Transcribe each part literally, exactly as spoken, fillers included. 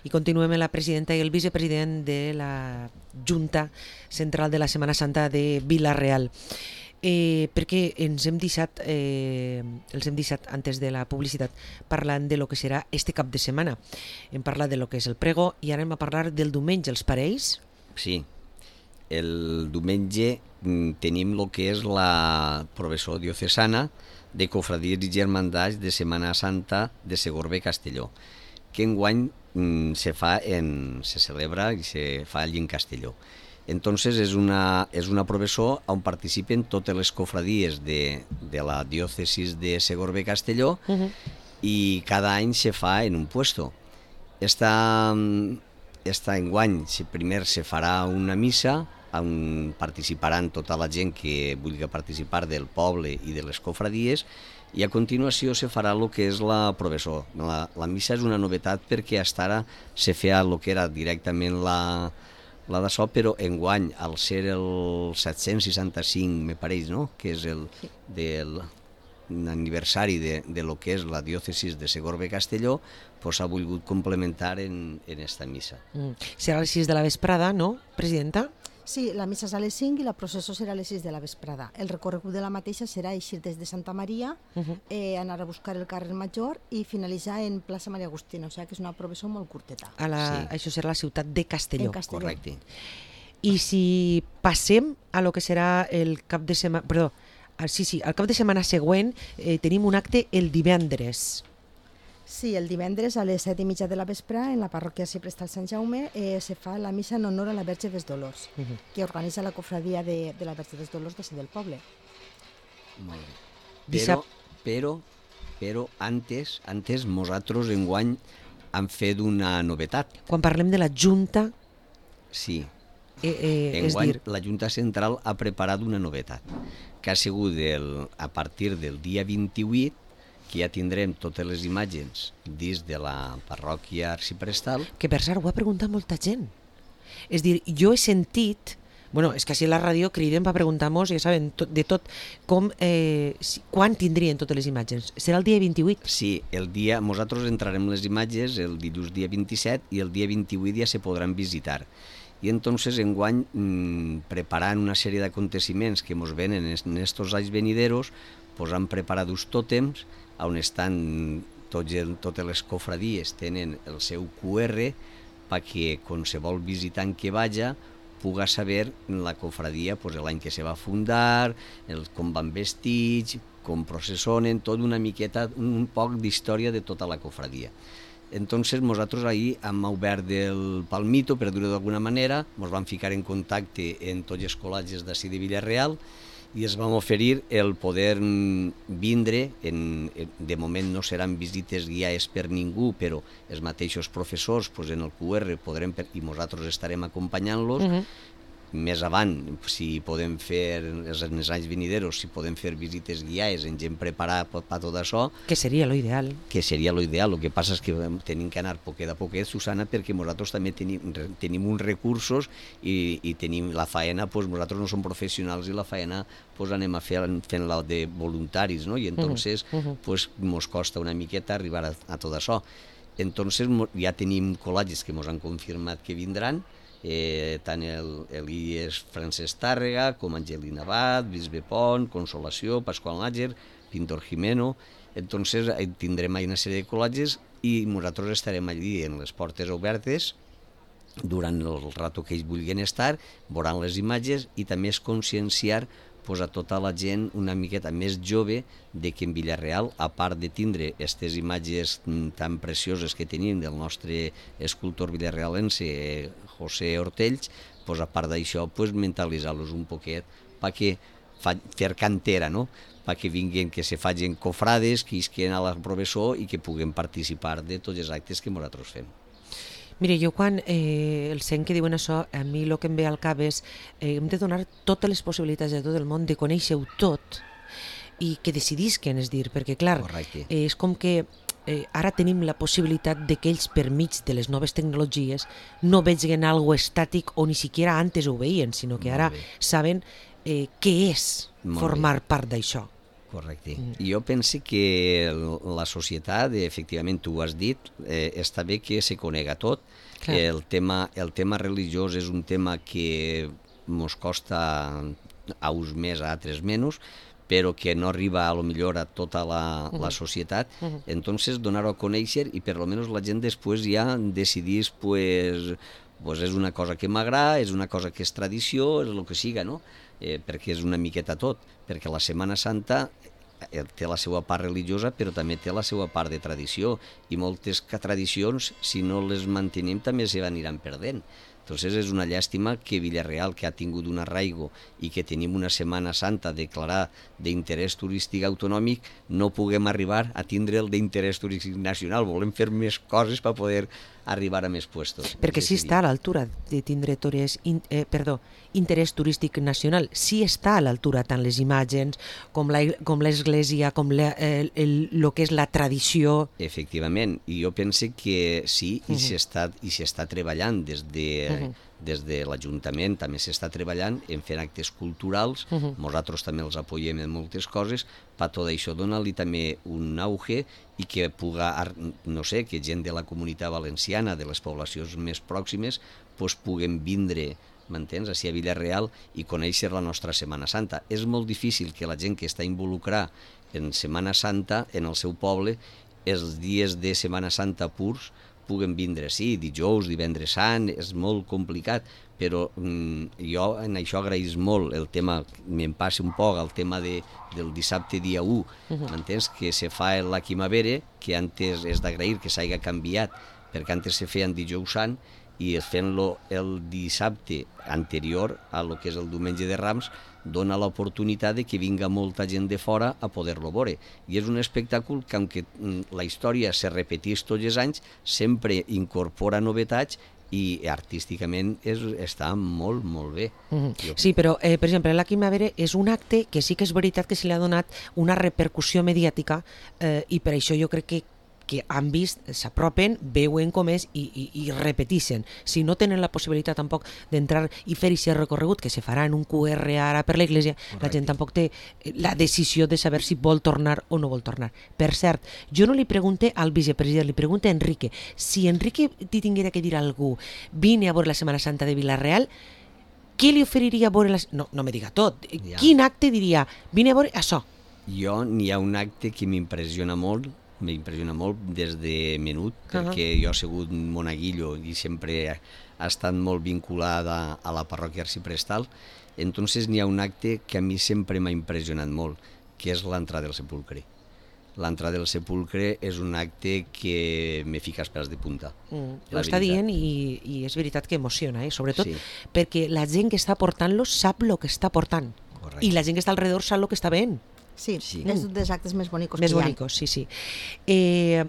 I continuem amb la presidenta i el vicepresident de la Junta Central de la Setmana Santa de Vila-real. Eh, perquè ens hem deixat, eh, els hem deixat antes de la publicitat parlant de lo que serà este cap de setmana. Hem parlat de lo que és el prego i ara anem a parlar del diumenge, els parells. Sí, el diumenge tenim el que és la professó diocesana de cofradies i germandats de Setmana Santa de Segorbe Castelló, que enguany mm, se fa en, se celebra i se fa allí en Castelló. Entonces és una, és una professó on participen totes les cofradies de, de la diòcesis de Segorbe Castelló uh-huh. i cada any se fa en un puesto. Esta, esta enguany primer se farà una missa on participaran tota la gent que vulgui participar del poble i de les cofradies, i a continuació se farà el que és la professó. La, la missa és una novetat perquè fins ara se feia el que era directament la, la d'això, però enguany, al ser el set-cents seixanta-cinc, me pareix, no?, que és el del aniversari de, de lo que és la diòcesis de Segorbe Castelló, pues ha volgut complementar en, en esta missa. Mm. Serà a les sis de la vesprada, no, presidenta? Sí, la missa és a les cinc i la processó serà a les sis de la vesprada. El recorregut de la mateixa serà eixir des de Santa Maria, uh-huh. eh, anar a buscar el carrer Major i finalitzar en plaça Maria Agustina, o sigui que és una processó molt curteta. A la, Sí. Això serà la ciutat de Castelló. En Castelló. Correcte. I si passem a lo que serà el cap de setmana... Perdó, al, sí, sí, al cap de setmana següent eh, tenim un acte el divendres. Sí, el divendres a les set i mitja de la vespre en la parròquia Cipresta al Sant Jaume eh, se fa la missa en honor a la Verge dels Dolors, uh-huh. que organitza la cofradia de, de la Verge dels Dolors de del poble. Molt bé. Però, però, però antes, antes nosaltres enguany hem fet una novetat. Quan parlem de la Junta, Sí, eh, eh, és enguany dir... la Junta Central ha preparat una novetat, que ha sigut el, a partir del dia vint-i-vuit, que ja tindrem totes les imatges dins de la parròquia arxiprestal. Que per cert ho ha preguntat molta gent. És dir, jo he sentit... Bueno, és que així a la ràdio criden per preguntar-nos, ja saben, tot, de tot, com, eh, si, quan tindrien totes les imatges. Serà el dia vint-i-vuit? Sí, el dia, nosaltres entrarem les imatges el dilluns dia vint-i-set i el dia vint-i-vuit ja se podran visitar. I entonces enguany, mmm, preparant una sèrie d'aconteciments que ens venen en estos anys venideros, pues han preparat uns tòtems on estan tots el, totes les cofradies, tenen el seu cu erre perquè qualsevol visitant que vaja puga saber la cofradia pues, l'any que se va fundar, el, com van vestits, com processonen, tot una miqueta, un poc d'història de tota la cofradia. Entonces nosaltres ahir hem obert el palmito, per dir-ho d'alguna manera, ens vam ficar en contacte amb tots els col·legis d'ací de Vila-real i es vam oferir el poder vindre, en, de moment no seran visites guiades per ningú, però els mateixos professors pues, en el cu erre podrem, i nosaltres estarem acompanyant-los. Uh-huh. Més avant, si podem fer, en els anys venideros, si podem fer visites guiades en gent preparada per, per tot això. Que seria lo ideal. Que seria lo ideal. El que passa és que tenim que anar poquet a poquet, Susana, perquè nosaltres també tenim, tenim uns recursos i, i tenim la faena, pues, nosaltres no som professionals i la faena pues, anem a fer fent-la de voluntaris, no? I entonces uh-huh. pues, mos costa una miqueta arribar a, a tot això. Entonces ja tenim col·legis que mos han confirmat que vindran, Eh, tant el, el I E S Francesc Tàrrega com Angelina Abad, Bisbe Pont, Consolació, Pasqual Náger, Pintor Jimeno. Entonces tindrem ahí una sèrie de col·legis i nosaltres estarem allí en les portes obertes durant el rato que ells vulguin estar, veuran les imatges i també és conscienciar pues, a tota la gent una miqueta més jove de que en Vila-real, a part de tindre aquestes imatges tan precioses que tenim del nostre escultor vilarealense José Hortells, pues, a part d'això pues, mentalitzar-los un poquet perquè fa, fer cantera, no? perquè vinguin, que se facin cofrades, que isquen a la professó i que puguem participar de tots els actes que nosaltres fem. Mire, jo quan eh, el sent que diuen això, a mi el que em ve al cap és eh, hem de donar totes les possibilitats de tot el món de conèixer-ho tot i que decidisquen, és dir, perquè clar, eh, és com que eh, ara tenim la possibilitat de que ells per mig de les noves tecnologies no vegin algo estàtic o ni siquiera antes ho veien, sinó que ara saben eh, què és formar part d'això. Correcte. Mm. Jo penso que la societat, efectivament, tu ho has dit, eh, està bé que se conega tot. El tema, el tema religiós és un tema que ens costa a uns més, a altres menys, però que no arriba a lo millor a tota la, uh -huh. la societat, uh -huh. entonces donar-ho a conèixer i per lo menos la gent després ja decidís, pues, pues és una cosa que m'agrada, és una cosa que és tradició, és el que siga, no? Eh, perquè és una miqueta tot, perquè la Setmana Santa té la seva part religiosa, però també té la seva part de tradició, i moltes tradicions, si no les mantenim, també se aniran perdent. Entonces és una llàstima que Vila-real, que ha tingut un arraigo i que tenim una Setmana Santa declarada d'interès turístic autonòmic, no puguem arribar a tindre el d'interès turístic nacional. Volem fer més coses per poder arribar a més puestos. Perquè sí està a l'altura de tindre torres, eh, perdó, interès turístic nacional. Sí està a l'altura tant les imatges com l'església, com el, el, el, el que és la tradició. Efectivament, i jo penso que sí, i uh -huh. s'està treballant des de... Uh -huh. des de l'Ajuntament també s'està treballant en fer actes culturals, uh -huh. nosaltres també els apoyem en moltes coses, per tot això donar-li també un auge i que puga, no sé, que gent de la comunitat valenciana, de les poblacions més pròximes, pues, puguen vindre, m'entens, així a Vila-real i conèixer la nostra Setmana Santa. És molt difícil que la gent que està involucrada en Setmana Santa, en el seu poble, els dies de Setmana Santa purs, puguen vindre, sí, dijous, divendres sant, és molt complicat, però mm, jo en això agraïs molt el tema, me'n passa un poc, el tema de, del dissabte dia u, uh-huh. m'entens? Que se fa la Quimavera, que antes és d'agrair que s'hagi canviat, perquè antes se feien dijous sant, i fent-lo el dissabte anterior a lo que és el diumenge de Rams, dona l'oportunitat de que vinga molta gent de fora a poder-lo veure. I és un espectacle que, aunque la història se repetís tots els anys, sempre incorpora novetats i artísticament és, està molt, molt bé. Mm-hmm. Sí, però, eh, per exemple, la Quimavera és un acte que sí que és veritat que se li ha donat una repercussió mediàtica eh, i per això jo crec que que han vist, s'apropen, veuen com és i, i, i repeteixen. Si no tenen la possibilitat tampoc d'entrar i fer aquest recorregut, que se farà en un Q R ara per l'església, la gent tampoc té la decisió de saber si vol tornar o no vol tornar. Per cert, jo no li pregunte al vicepresident, li pregunte a Enrique. Si Enrique ti tinguera que dir a algú, vine a veure la Setmana Santa de Vila-real, què li oferiria a veure? La... No, no me diga tot. Ja. Quin acte diria, vine a veure això? Jo n'hi ha un acte que m'impressiona molt, m'impressiona molt des de menut, perquè uh-huh. jo he sigut monaguillo i sempre ha estat molt vinculada a la parròquia arciprestal. Entonces n'hi ha un acte que a mi sempre m'ha impressionat molt, que és l'entrada del sepulcre. L'entrada del sepulcre és un acte que me fica els pèls de punta. Mm, ho està dient i, i és veritat que emociona, eh? Sobretot sí. perquè la gent que està portant-lo sap el que està portant. Correcte. I la gent que està alrededor sap el que està veient. Sí, sí, és un dels actes més bonicos més que hi ha. Més bonicos, sí, sí. Eh,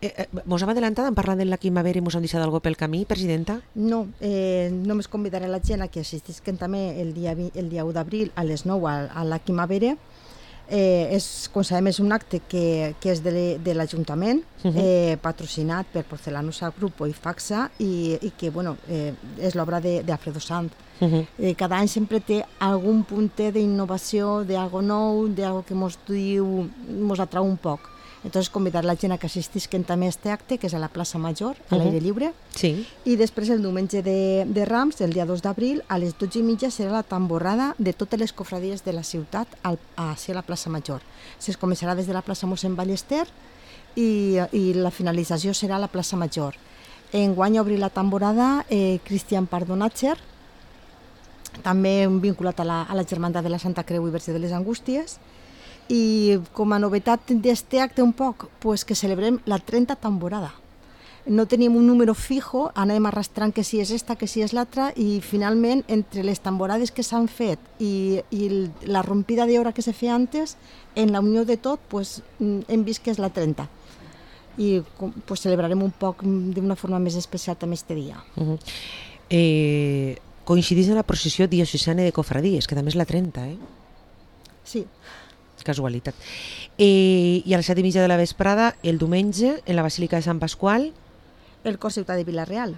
eh, mos hem adelantat en parlar de la Quimavera i mos han deixat alguna pel camí, presidenta? No, eh, només convidaré la gent a que assistisquen també el dia, el dia u d'abril a les nou a, a la Quimavera. Eh, és, com sabem, és un acte que, que és de, de l'Ajuntament, uh-huh. eh, patrocinat per Porcelanosa Grupo i Faxa, i, i que bueno, eh, és l'obra d'Alfredo Sanz. Uh-huh. Eh, cada any sempre té algun punter d'innovació, d'algo nou, d'algo que mos diu, mos atrau un poc. Entonces, convidar la gent a que assistisquen també a aquest acte, que és a la plaça Major, a l'aire lliure. Sí. I després, el diumenge de, de Rams, el dia dos d'abril, a les dotze i mitja serà la tamborrada de totes les cofradies de la ciutat al, a, a la plaça Major. Es començarà des de la plaça Mossèn Ballester i, i la finalització serà a la plaça Major. Enguany obrir la tamborrada eh, Cristian Pardonatger, també vinculat a la, a la Germandat de la Santa Creu i Verge de les Angústies. I com a novetat d'este acte un poc, pues que celebrem la trenta tamborada. No tenim un número fijo, anem arrastrant que si és esta, que si és l'altra, i finalment, entre les tamborades que s'han fet i, i la rompida d'hora que se feia antes, en la unió de tot, pues, hem vist que és la trenta. I pues, celebrarem un poc d'una forma més especial també este dia. Uh-huh. eh, coincidís en la processió diocesana de cofradies, que també és la trenta, eh? Sí. Casualitat. Eh, I a les set i mitja de la vesprada, el diumenge, en la Basílica de Sant Pasqual, el Cor Ciutat de Vila-real.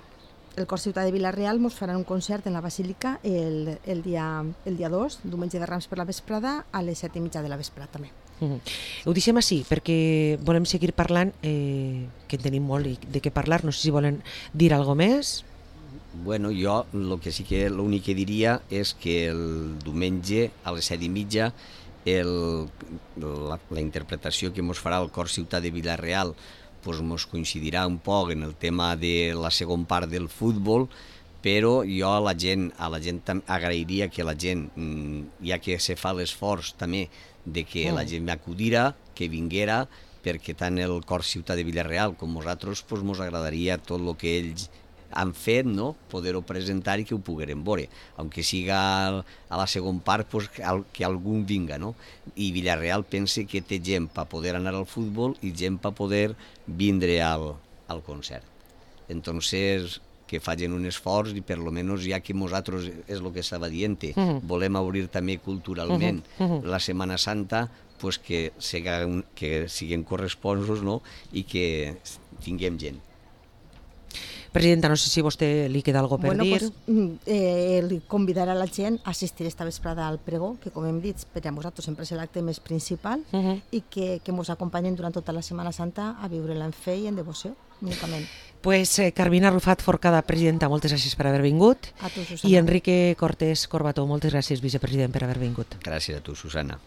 El Cor Ciutat de Vila-real mos farà un concert en la Basílica el, el dia el dia dos, diumenge de Rams per la vesprada, a les set i mitja de la vesprada també. Uh-huh. Ho deixem així perquè volem seguir parlant, eh, que en tenim molt de què parlar. No sé si volen dir alguna més. Bueno, jo el que sí que l'únic que diria és que el diumenge a les set i mitja el, la, la interpretació que ens farà el Cor Ciutat de Vila-real pues, ens coincidirà un poc en el tema de la segona part del futbol, però jo a la gent, a la gent agrairia que la gent, ja que se fa l'esforç també de que la gent m'acudirà, que vinguera, perquè tant el Cor Ciutat de Vila-real com nosaltres pues, ens agradaria tot el que ells han fet, no? Poder-ho presentar i que ho poguérem veure, aunque siga a la segona part pues, que algú vinga, no? I Vila-real pense que té gent per poder anar al futbol i gent per poder vindre al, al concert. Entonces, que facin un esforç i per lo menos ja que nosaltres, és el que estava dient, uh-huh. volem obrir també culturalment uh-huh. la Setmana Santa, pues que, siguin, que siguin corresponsos, no? I que tinguem gent. Presidenta, no sé si a vostè li queda alguna cosa per bueno, dir. Pues, eh, li convidarà la gent a assistir esta vesprada al pregó, que com hem dit, per a nosaltres sempre és l'acte més principal, uh-huh. i que, que ens acompanyen durant tota la Setmana Santa a viure-la en fe i en devoció, únicament. Pues eh, Carmina Rufat Forcada, presidenta, moltes gràcies per haver vingut. A tu, Susana. I Enrique Cortés Corbató, moltes gràcies, vicepresident, per haver vingut. Gràcies a tu, Susana.